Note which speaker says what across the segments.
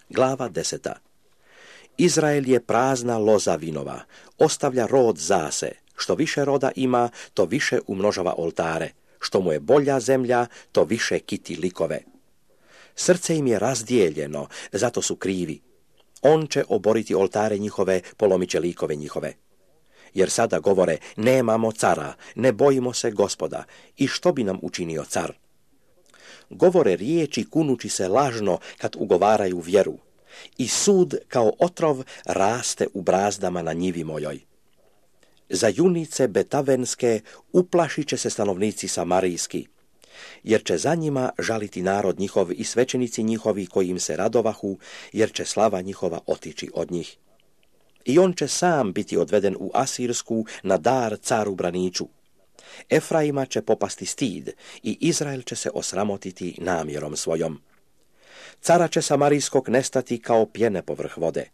Speaker 1: Glava 10. Izrael je prazna loza vinova, ostavlja rod zase. Što više roda ima, to više umnožava oltare. Što mu je bolja zemlja, to više kiti likove. Srce im je razdijeljeno, zato su krivi. On će oboriti oltare njihove, polomit će likove njihove. Jer sada govore, nemamo cara, ne bojimo se Gospoda, i što bi nam učinio car? Govore riječi kunući se lažno kad ugovaraju vjeru. I sud kao otrov raste u brazdama na njivi mojoj. Za junice betavenske uplašit će se stanovnici samarijski, jer će za njima žaliti narod njihov i svećenici njihovi koji im se radovahu, jer će slava njihova otići od njih. I on će sam biti odveden u Asirsku na dar caru braniču. Efraima će popasti stid i Izrael će se osramotiti namjerom svojom. Cara će samarijskog nestati kao pjene povrh vode.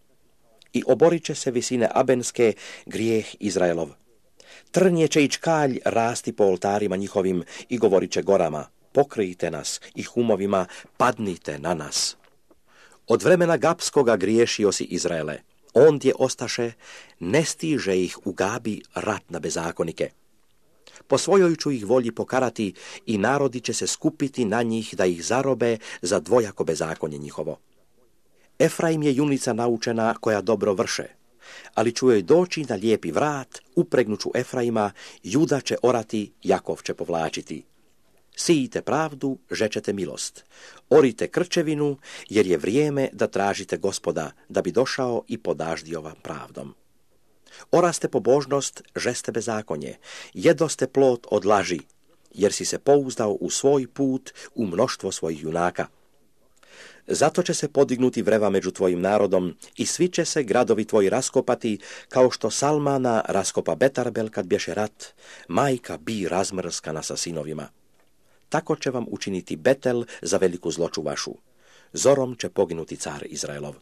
Speaker 1: I oborit će se visine Abenske grijeh Izraelov. Trnje će i čkalj rasti po oltarima njihovim i govorit će gorama, pokrijte nas, i humovima, padnite na nas. Od vremena Gapskoga griješio si Izraele. Ondje ostaše, ne stiže ih u Gabi rat na bezakonike. Po svojoj ću ih volji pokarati i narodi će se skupiti na njih da ih zarobe za dvojako bezakonje njihovo. Efraim je junica naučena koja dobro vrše, ali ću joj doći na lijepi vrat, upregnuću Efraima, Juda će orati, Jakov će povlačiti. Sijite pravdu, žećete milost. Orite krčevinu, jer je vrijeme da tražite Gospoda, da bi došao i podaždio vam pravdom. Oraste pobožnost, žeste bezakonje, jedoste plod od laži, jer si se pouzdao u svoj put, u mnoštvo svojih junaka. Zato će se podignuti vreva među tvojim narodom i svi će se gradovi tvoji raskopati, kao što Salmana raskopa Betarbel kad bješe rat, majka bi razmrskana sa sinovima. Tako će vam učiniti Betel za veliku zloću vašu. Zorom će poginuti car Izraelov.